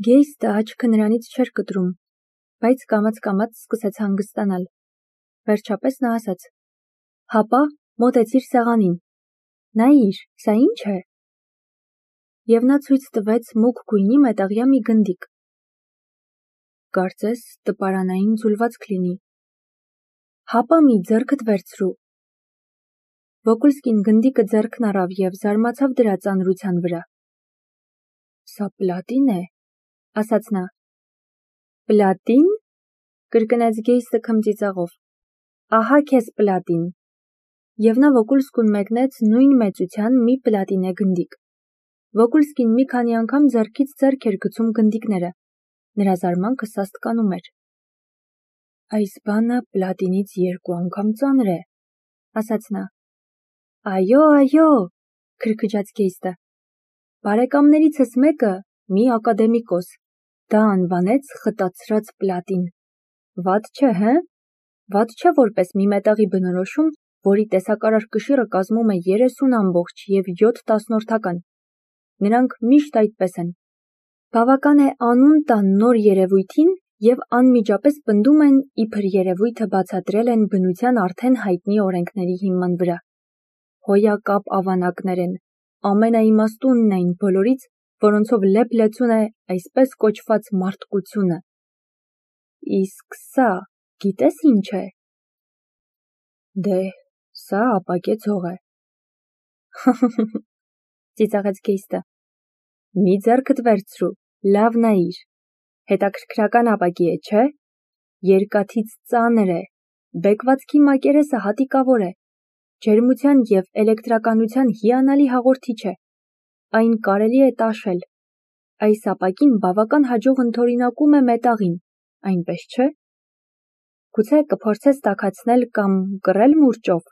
Գեյստը աչքը նրանից չէր կտրում, բայց կամաց սկսեց հանգստանալ։ Վերջապես նա ասաց. «Հապա, մոտեցիր սեղանին։ Նայիր, սա ի՞նչ է»։ Եվ նա ցույց տվեց մուգ գույնի մետաղյա մի գնդիկ։ Կարծես տպարանային ձուլվածք լինի։ «Հապա մի ձեռքդ վերցրու»։ Վոկուլսկին գնդիկը ձեռքն առավ և զարմացավ դրա ծանրության վրա։ «Սա պլատին է», ասաց նա։ «Պլատին», կրկնեց Գեյստը քմծիծաղով։ «Ահա քեզ պլատին»։ Եվ նա Վոկուլսկուն մեկնեց նույն մեծության մի պլատինե գնդիկ։ Վոկուլսկին մի քանի անգամ ձեռքից ձեռք էր գցում գնդիկները։ Նրա զարմանքը սաստկանում էր։ «Այս բանը պլատինից 2 անգամ ծանր է», ասաց նա։ «Այո, քրքջաց Գեյստը։ Բարեկամներիցս մեկը, մի ակադեմիկոս, դա անվանեց խտացրած պլատին։ Վատ չէ, հը՞։ Վատ չէ որպես մի մետաղի բնորոշում, որի տեսակարար կշիռը կազմում է 30 ամբողջ և 7/10։ Նրանք միշտ այդպես են։ Բավական է անուն տան նոր երևույթին և անմիջապես պնդում են, իբր երևույթը բացատրել են բնության արդեն հայտնի օրենքների հիման վրա։ Հոյակապ ավանակներ են, ամենաիմաստունն այն բոլորից, որոնցով լեփ-լեցուն է այսպես կոչված մարդկությունը։ Իսկ սա գիտես ինչ է։ Դե, սա ապակե ցող է։ Ծիծաղեց Գեյստը։ Մի ձեռքդ վերցրու, լավ նայիր։ Հետաքրքրական ապակի է, չէ՞։ Երկաթից ծանր է, բեկվածքի մակերեսը հատիկավոր է, ջերմության և էլեկտրականության հիանալի հաղորդիչ է։ Այն կարելի է տաշել։ Այս ապակին բավական հաջող ընդօրինակում է մետաղին, այնպես չէ։ Գուցե կփորձես տաքացնել կամ կռել մուրճով։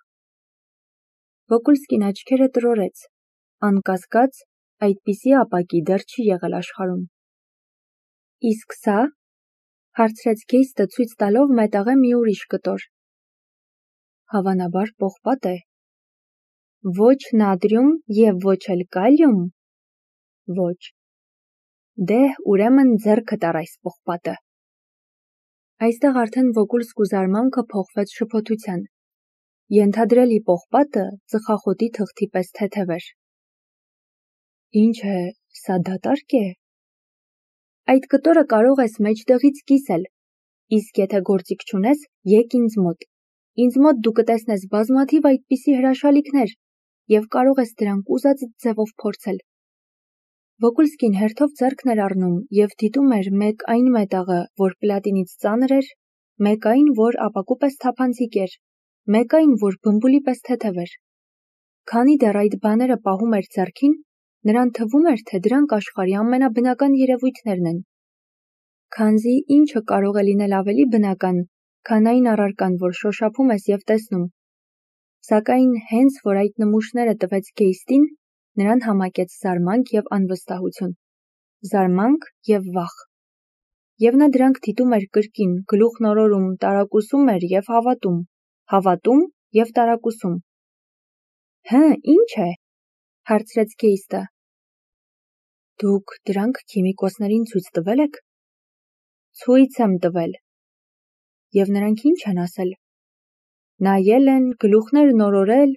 Վոկուլսկին աչքերը տրորեց։ Անկասկած, այդպիսի ապակի դեռ չի եղել աշխարհում։ Իսկ սա, հարցրեց Գեյստը ցույց տալով մետաղե մի ուրիշ կտոր։ Հավանաբար պողպատ է։ Ոչ նատրիում և ոչ էլ կալիում։ Ոչ։ Դե, ուրեմն ձեռքդ առ այս պողպատը։ Այստեղ արդեն Վոկուլսկու զարմանքը փոխվեց շփոթության։ Ենթադրելի պողպատը ծխախոտի թղթի պես թեթև էր։ Ինչ է, սա դատարկ է։ Այդ կտորը կարող ես մեջտեղից կիսել, իսկ եթե գործիք չունես, եկ ինձ մոտ։ Ինձ մոտ դու կտեսնես բազմաթիվ այդպիսի հրաշալիքներ և կարող ես դրանք ուզածդ ձևով փորձել։ Վոկուլսկին հերթով ձեռքն էր առնում և դիտում էր մեկ այն մետաղը, որ պլատինից ծանր էր, մեկ այն, որ ապակու պես թափանցիկ էր, մեկ այն, որ բմբուլի պես թեթև էր։ Քանի դեռ այդ բաները պահում էր ձեռքին, նրան թվում էր, թե դրանք աշխարհի ամենաբնական երևույթներն են։ Քանզի ինչը կարող է լինել ավելի բնական, քան այն առարկան, որ շոշափում ես և տեսնում։ Սակայն հենց որ այդ նմուշները տվեց Գեյստին, նրան համակեց զարմանք և անվստահություն։ Զարմանք և վախ։ Եվ նա դրանք դիտում էր կրկին, գլուխն օրորում, տարակուսում էր և հավատում, հավատում և տարակուսում։ Հը, ինչ է, հարցրեց Գեյստը։ Դուք դրանք քիմիկոսներին ցույց տվել եք։ Ցույց եմ տվել։ Եվ նրանք ինչ են ասել։ Նայել են, գլուխներն օրորել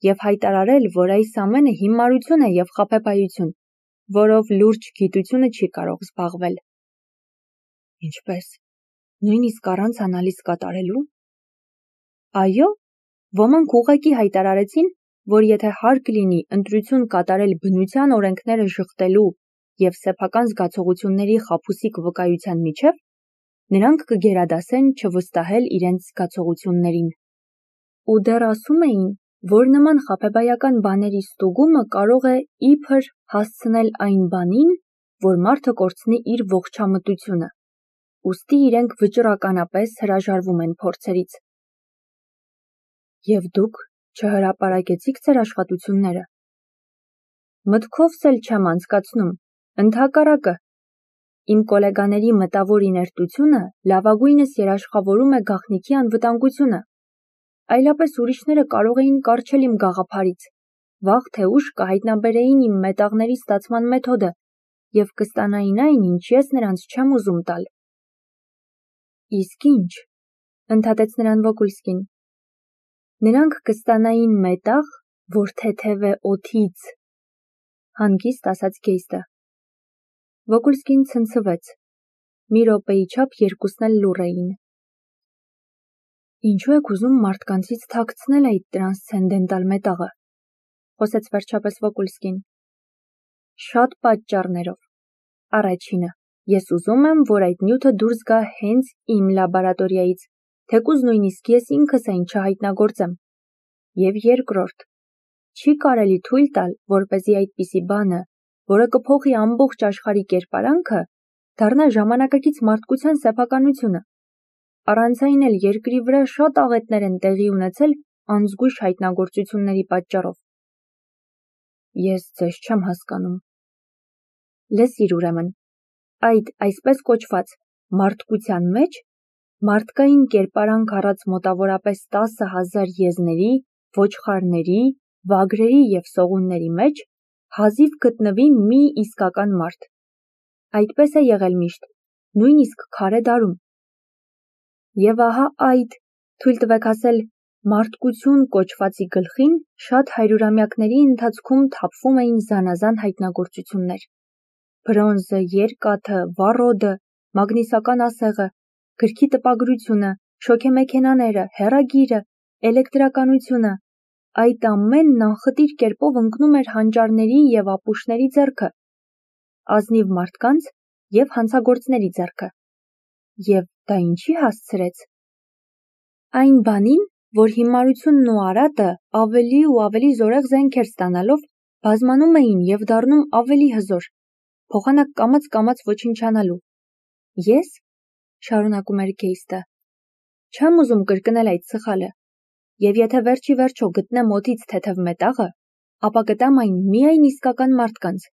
և հայտարարել, որ այս ամենը հիմարություն է և խաբեբայություն, որով լուրջ գիտությունը չի կարող զբաղվել։ Ինչպես, նույնիսկ առանց անալիզ կատարելու։ Այո, ոմանք ուղղակի հայտարարեցին, որ եթե հարկ լինի ընտրություն կատարել բնության օրենքները ժխտելու և սեփական զգացողությունների խաբուսիկ վկայության միջև, նրանք կգերադասեն չվստահել իրենց զգացողություններին։ Ու դեռ ասում էին, որ նման խաբեբայական բաների ստուգումը կարող է իբր հասցնել այն բանին, որ մարդը կորցնի իր ողջամտությունը, ուստի իրենք վճռականապես հրաժարվում են փորձերից։ Եվ դուք չհրապարակեցիք ձեր աշխատությունները։ Մտքովս էլ չեմ անցկացնում, ընդհակառակը։ Իմ կոլեգաների մտավոր իներտությունը լավագույնս երաշխավորում է գաղտնիքի անվտանգությունը։ Այլապես ուրիշները կարող էին կառչել իմ գաղափարից, վաղ թե ուշ կհայտնաբերեին իմ մետաղների ստացման մեթոդը և կստանային այն, ինչ ես նրանց չեմ ուզում տալ։ Իսկ ինչ, ընդհատեց նրան Վոկուլսկին։ Նրանք կստանային մետաղ, որ թեթև է օդից, հանգիստ ասաց Գեյստը։ Վոկուլսկին ցնցվեց։ Մի րոպեի չափ երկուսն էլ լուռ էին։ Ինչու եք ուզում մարդկանցից թաքցնել այդ տրանսցենդենտալ մետաղը, խոսեց վերջապես Վոկուլսկին։ Շատ պատճառներով։ Առաջինը, ես ուզում եմ, որ այդ նյութը դուրս գա հենց իմ լաբորատորիայից, թեկուզ նույնիսկ ես ինքս այն չհայտնագործեմ։ Եվ երկրորդ, չի կարելի թույլ տալ, որպեսզի այդպիսի բանը, որը կփոխի ամբողջ աշխարհի կերպարանքը, դառնա ժամանակակից մարդկության սեփականությունը։ Առանց այն էլ երկրի վրա շատ աղետներ են տեղի ունեցել անզգույշ հայտնագործությունների պատճառով։ Ես ձեզ չեմ հասկանում։ Լսիր ուրեմն, այդ այսպես կոչված մարդկության մեջ մարդկային կերպարանք առած մոտավորապես 10,000 եզների, ոչխարների, վագրերի և սողունների մեջ հազիվ գտնվի մի իսկական մարդ։ Այդպես է եղել միշտ, նույնիսկ քարե դարում։ Եվ ահա այդ, թույլ տվեք ասել, մարդկություն կոչվածի գլխին շատ հարյուրամյակների ընթացքում թափվում էին զանազան հայտնագործություններ։ Բրոնզը, երկաթը, վառոդը, մագնիսական ասեղը, գրքի տպագրությունը, շոգեմեքենաները, հեռագիրը, էլեկտրականությունը, այդ ամենն անխտիր կերպով ընկնում էր հանճարների և ապուշների ձեռքը, ազնիվ մարդկանց և հանցագործների ձեռքը։ Եվ դա ինչի հասցրեց։ Այն բանին, որ հիմարությունն ու արատը ավելի ու ավելի զորեղ զենքեր ստանալով բազմանում էին և դառնում ավելի հզոր, փոխանակ կամաց ոչնչանալու։ Ես, շարունակում էր Գեյստը, չեմ ուզում կրկնել այդ սխալը, և եթե վերջի վերջո գտնեմ օդից թեթև մետաղը, ապա կտամ այն միայն իսկական մարդկանց։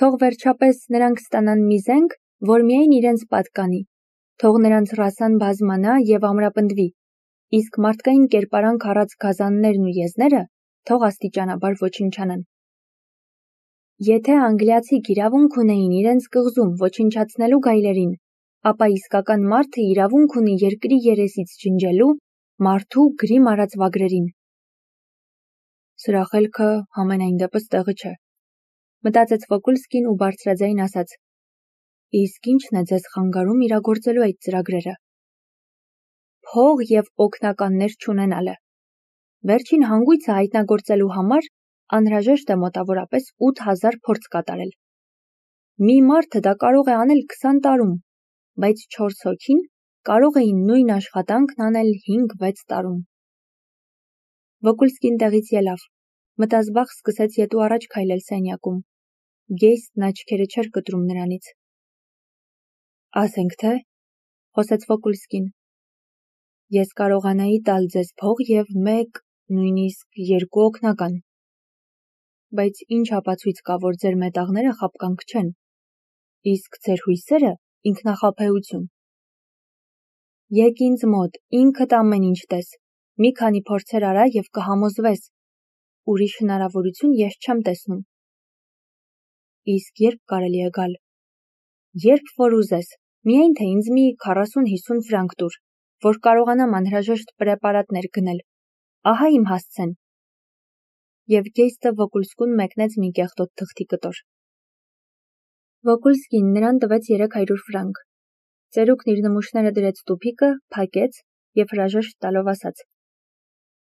Թող վերջապես նրանք ստանան մի զենք, որ միայն իրենց պատկանի, թող նրանց ռասան բազմանա և ամրապնդվի, իսկ մարդկային կերպարանք առած գազաններն ու եզները թող աստիճանաբար ոչնչանան։ Եթե անգլիացիք իրավունք ունեին իրենց կղզում ոչնչացնելու գայլերին, ապա իսկական մարդը իրավունք ունի երկրի երեսից ջնջելու մարդու գրիմ արած վագրերին։ Սրա խելքը համենայն դեպս տեղը չէ, մտածեց Վոկուլսկին ու բարձրաձայն ասաց. Իսկ ի՞նչն է ձեզ խանգարում իրագործելու այդ ծրագրերը։ Փող և օգնականներ չունենալը։ Վերջին հանգույցը հայտնագործելու համար անհրաժեշտ է մոտավորապես 8000 փորձ կատարել։ Մի մարդը դա կարող է անել 20 տարում, բայց 4 հոգին կարող էին նույն աշխատանքն անել 5-6 տարում։ Վոկուլսկին տեղից ելավ, մտազբաղ սկսեց ետու առաջ քայլել սենյակում։ Գեյստն աչքերը չէր կտրում նրանից։ Ասենք թե, խոսեց Վոկուլսկին, ես կարողանայի տալ ձեզ փող և 1, նույնիսկ 2 օգնական։ Բայց ինչ ապացույց կա, որ ձեր մետաղները խաբկանք չեն, իսկ ձեր հույսերը ինքնախաբեություն։ Եկ ինձ մոտ, ինքդ ամեն ինչ տես, մի քանի փորձեր արա և կհամոզվես, ուրիշ հնարավորություն ես չեմ տեսնում։ Իսկ երբ կարելի է գալ։ Երբ որ ուզես, միայն թե ինձ մի 40-50 ֆրանկ տուր, որ կարողանամ անհրաժեշտ պրեպարատներ գնել, ահա իմ հասցեն։ Եվ Գեյստը Վոկուլսկուն մեկնեց մի կեղտոտ թղթի կտոր։ Վոկուլսկին նրան տվեց 300 ֆրանկ։ Ծերուկն իր նմուշները դրեց տուփիկը, փակեց և հրաժեշտ տալով ասաց.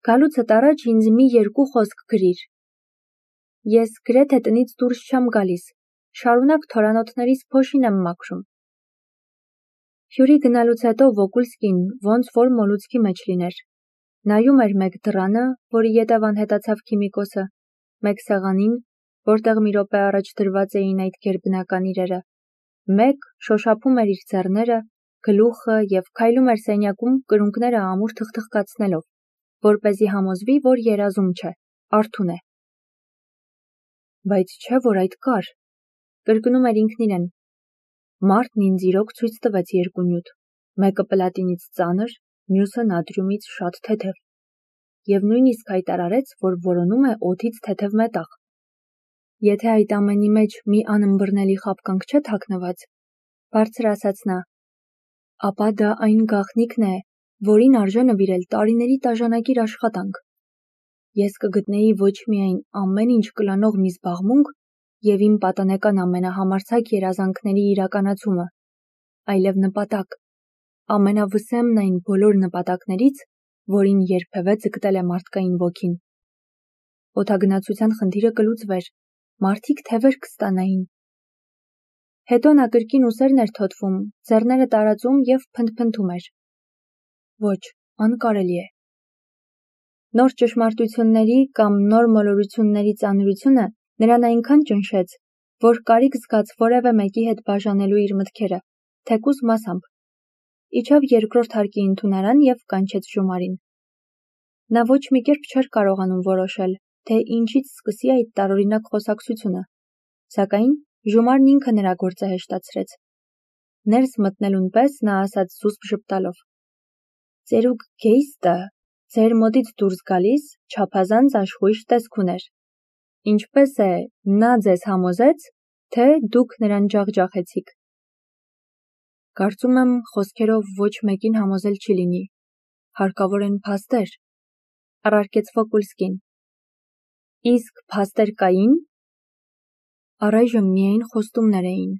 Գալուցդ առաջ ինձ մի 2 խոսք գրիր։ Ես գրեթե տնից դուրս չեմ գալիս, շարունակ թորանոթներիս փոշին եմ մաքրում։ Հյուրի գնալուց հետո Վոկուլսկին ոնց որ մոլուցքի մեջ լիներ։ Նայում էր մեկ դռանը, որի ետև անհետացավ քիմիկոսը, մեկ սեղանին, որտեղ մի րոպե առաջ դրված էին այդ գերբնական իրերը, մեկ շոշափում էր իր ձեռները, գլուխը և քայլում էր սենյակում կրունկները ամուր թխթխկացնելով, որպեսզի համոզվի, որ երազում չէ, արթուն է։ Բայց չէ, որ այդ կար, կրկնում էր ինքն իրեն։ Մարդն ինձ իրոք ցույց տվեց 2 նյութ, մեկը պլատինից ծանր, մյուսը նատրիումից շատ թեթև, և նույնիսկ հայտարարեց, որ որոնում է օդից թեթև մետաղ։ Եթե այդ ամենի մեջ մի անըմբռնելի խաբկանք չէ թաքնված, բարձր ասաց նա, ապա դա այն գաղտնիքն է, որին արժե նվիրել տարիների տաժանակիր աշխատանք։ Ես կգտնեի ոչ միայն ամեն ինչ կլանող մի զբաղմունք և իմ պատանեկան ամենահամարձակ երազանքների իրականացումը, այլև նպատակ, ամենավսեմն այն բոլոր նպատակներից, որին երբևէ ձգտել է մարդկային ոգին։ Օդագնացության խնդիրը կլուծվեր, մարդիկ թևեր կստանային։ Հետո նա կրկին ուսերն էր թոթվում, ձեռները տարածում և փնթփնթում էր։ Ոչ, անկարելի է։ Նոր ճշմարտությունների կամ նոր մոլորությունների ծանրությունը նրան այնքան ճնշեց, որ կարիք զգաց որևէ մեկի հետ բաժանելու իր մտքերը, թեկուզ մասամբ։ Իջավ երկրորդ հարկի ընդունարան և կանչեց Ժումարին։ Նա ոչ մի կերպ չէր կարողանում որոշել, թե ինչից սկսի այդ տարօրինակ խոսակցությունը, սակայն Ժումարն ինքը նրա գործը հեշտացրեց։ Ներս մտնելուն պես նա ասաց զուսպ ժպտալով. «Ծերուկ Գեյստը ձեր մոտից դուրս գալիս չափազանց աշխույժ տեսք ուներ։ Ինչպես է, նա ձեզ համոզեց, թե դուք նրան ջախջախեցիք»։ Կարծում եմ, խոսքերով ոչ մեկին համոզել չի լինի, հարկավոր են փաստեր, առարկեց Վոկուլսկին։ Իսկ փաստեր կային։ Առայժմ միայն խոստումներ էին,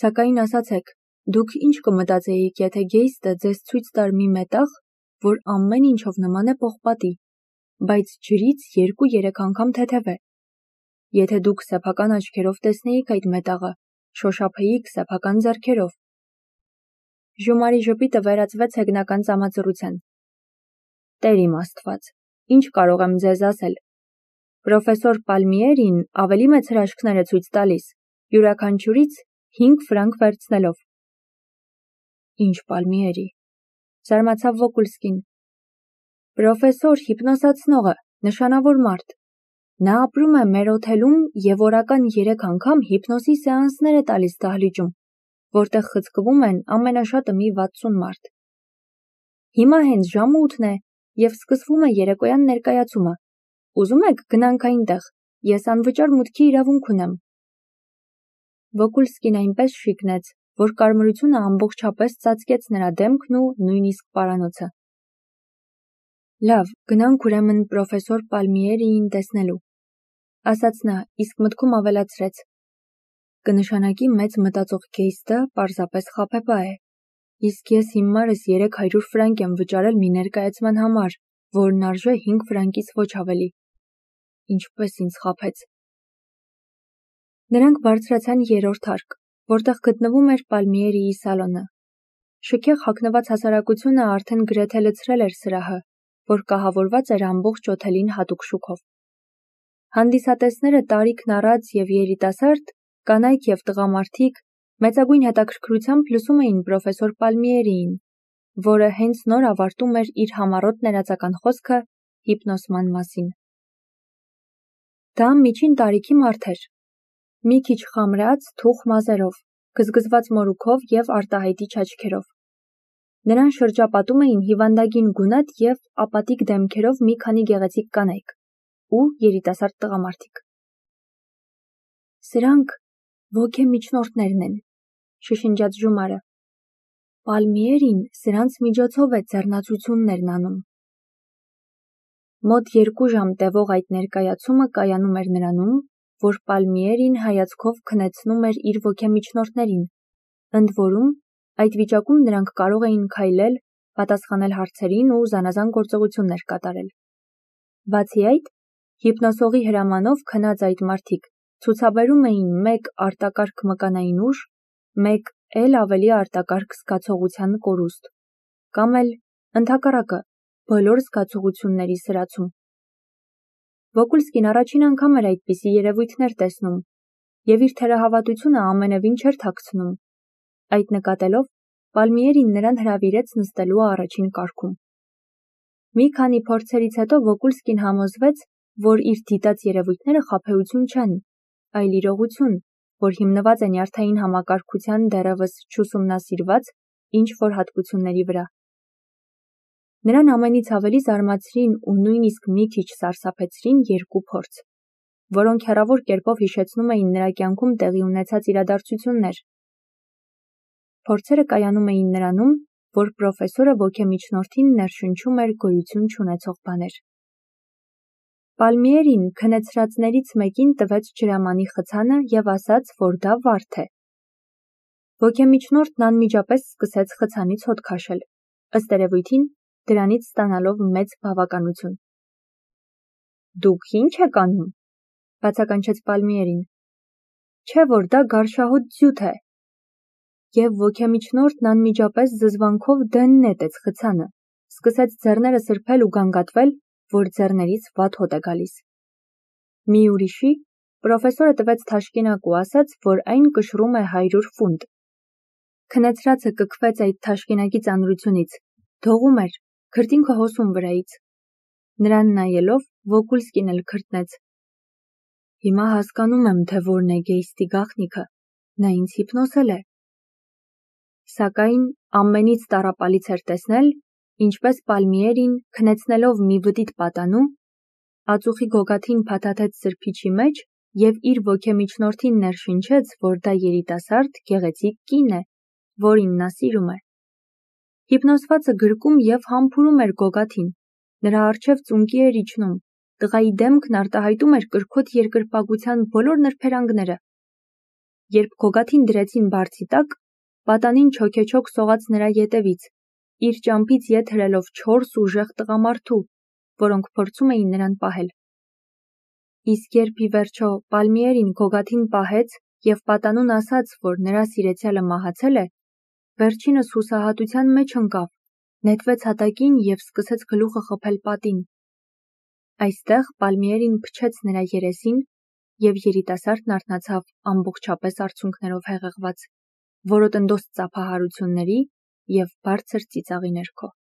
սակայն ասացեք, դուք ինչ կմտածեիք, եթե Գեյստը ձեզ ցույց տար մի մետաղ, որ ամեն ինչով նման է պողպատի, բայց ջրից 2-3 անգամ թեթև է։ Եթե դուք սեփական աչքերով տեսնեիք այդ մետաղը, շոշափեիք սեփական ձեռքերով։ Ժումարի ժպիտը վերածվեց հեգնական ծամածռության։ Տեր իմ Աստված, ինչ կարող եմ ձեզ ասել։ Պրոֆեսոր Պալմիերին ավելի մեծ հրաշքներ է ցույց տալիս, յուրաքանչյուրից 5 ֆրանկ վերցնելով։ Ինչ Պալմիերի, զարմացավ Վոկուլսկին։ Պրոֆեսոր հիպնոսացնողը, նշանավոր մարդ։ Նա ապրում է մեր օթելում և օրական 3 անգամ հիպնոսի սեանսներ է տալիս դահլիճում, որտեղ խցկվում են ամենաշատը մի 60 մարդ։ Հիմա հենց ժամը 8-ն է և սկսվում է երեկոյան ներկայացումը։ Ուզում եք գնանք այնտեղ, ես անվճար մուտքի իրավունք ունեմ։ Վոկուլսկին այնպես շիկնեց, որ կարմրությունը ամբողջապես ծածկեց նրա դեմքն ու նույնիսկ պարանոցը։ Լավ, գնանք ուրեմն պրոֆեսոր Պալմիերիին տեսնելու, ասաց նա, իսկ մտքում ավելացրեց. կնշանակի մեծ մտածող Գեյստը պարզապես խաբեբա է, իսկ ես հիմարս 300 ֆրանկ եմ վճարել մի ներկայացման համար, որն արժե 5 ֆրանկից ոչ ավելի։ Ինչպես ինձ խաբեց։ Նրանք բարձրացան 3-րդ հարկ, որտեղ գտնվում էր Պալմիերիի սալոնը։ Շքեղ հագնված հասարակությունը արդեն գրեթե լցրել էր սրահը, որ կահավորված էր ամբողջ օթելին հատուկ շուքով։ Հանդիսատեսները տարիքն առած և երիտասարդ, կանայք և տղամարդիկ մեծագույն հետաքրքրությամբ լսում էին պրոֆեսոր Պալմիերիին, որը հենց նոր ավարտում էր իր համառոտ ներածական խոսքը հիպնոսման մասին։ Դա միջին տարիքի մարդ էր, մի քիչ խամրած, թուխ մազերով, գզգզված մորուքով և արտահայտիչ աչքերով։ Նրան շրջապատում էին հիվանդագին գունատ և ապատիկ դեմքերով մի քանի գեղեցիկ կանայք ու երիտասարդ տղամարդիկ։ Սրանք ոգեմիջնորդներն են, շշնջաց Ժումարը։ Պալմիերին սրանց միջոցով է ձեռնացություններն անում։ Մոտ 2 ժամ տևող այդ ներկայացումը կայանում էր նրանում, որ Պալմիերին հայացքով քնեցնում էր իր ոգեմիջնորդներին, ընդ որում այդ վիճակում նրանք կարող էին քայլել, պատասխանել հարցերին ու զանազան գործողություններ կատարել։ Բացի այդ, հիպնոսողի հրամանով քնած այդ մարդիկ ցուցաբերում էին մեկ արտակարգ մկանային ուժ, մեկ էլ ավելի արտակարգ զգացողության կորուստ, կամ էլ ընդհակառակը, բոլոր զգացողությունների սրացում։ Վոկուլսկին առաջին անգամ էր այդպիսի երևույթներ տեսնում և իր թերահավատությունը ամենևին չէր թաքցնում։ Այդ նկատելով, Պալմիերին նրան հրավիրեց նստելու առաջին կարգում։ Մի քանի փորձերից հետո Վոկուլսկին համոզվեց, որ իր դիտած երևույթները խաբեություն չեն, այլ իրողություն, որ հիմնված է նյարդային համակարգության դեռևս չուսումնասիրված ինչ-որ հատկությունների վրա։ Նրան ամենից ավելի զարմացրին ու նույնիսկ մի քիչ սարսափեցրին 2 փորձ։ որոնք հեռավոր կերպով հիշեցնում էին նրա կյանքում տեղի ունեցած իրադարձություններ։ Փորձերը կայանում էին նրանում, որ պրոֆեսորը ոգեմիջնորդին ներշնչում էր գոյություն չունեցող բաներ։ Պալմիերին քնեցրածներից մեկին տվեց ջրամանի խցանը և ասաց, որ դա վարդ է։ Ոգեմիջնորդն անմիջապես սկսեց խցանից հոտ քաշել, ըստ երևույթին, դրանից ստանալով մեծ բավականություն։ Դուք ի՞նչ եք անում, բացականչեց Պալմիերին։ Չէ՞ որ դա գարշահոտ ձյութ է։ Եվ ոգեմիջնորդն անմիջապես զզվանքով դեն նետեց խցանը, սկսեց ձեռները սրբել ու գանգատվել, որ ձեռներից վատ հոտ է գալիս։ Մի ուրիշի պրոֆեսորը տվեց թաշկինակ ու ասաց, որ այն կշռում է 100 ֆունտ։ Քնեցրածը կքվեց այդ թաշկինակի ծանրությունից, դողում էր, քրտինքը հոսում վրայից։ Նրան նայելով Վոկուլսկին էլ քրտնեց։ Հիմա հասկանում եմ, թե որն է Գեյստի գաղտնիքը, նա ինձ հիպնոսել է։ Սակայն ամենից տառապալից էր տեսնել, ինչպես Պալմիերին, քնեցնելով մի վտիտ պատանու, ածուխի գոգաթին փաթաթեց սրբիչի մեջ և իր ոգեմիջնորդին ներշնչեց, որ դա երիտասարդ, գեղեցիկ կին է, որին նա սիրում է։ Հիպնոսվածը գրկում և համբուրում էր գոգաթին, նրա առջև ծունկի էր իջնում, տղայի դեմքն արտահայտում էր կրքոտ երկրպագության բոլոր նրբերանգները։ Երբ գոգաթին դրեցին բարձի տակ, պատանին չոքեչոք սողաց նրա ետևից, իր ճամփից ետ հրելով 4 ուժեղ տղամարդու, որոնք փորձում էին նրան պահել։ Իսկ երբ ի վերջո Պալմիերին գոգաթին պահեց և պատանուն ասաց, որ նրա սիրեցյալը մահացել է, վերջինս հուսահատության մեջ ընկավ, նետվեց հատակին և սկսեց գլուխը խփել պատին։ Այստեղ Պալմիերին փչեց նրա երեսին և երիտասարդն արթնացավ ամբողջապես արցունքներով հեղեղված, որոտնդոս ծափահարությունների և բարձր ծիծաղի ներքո։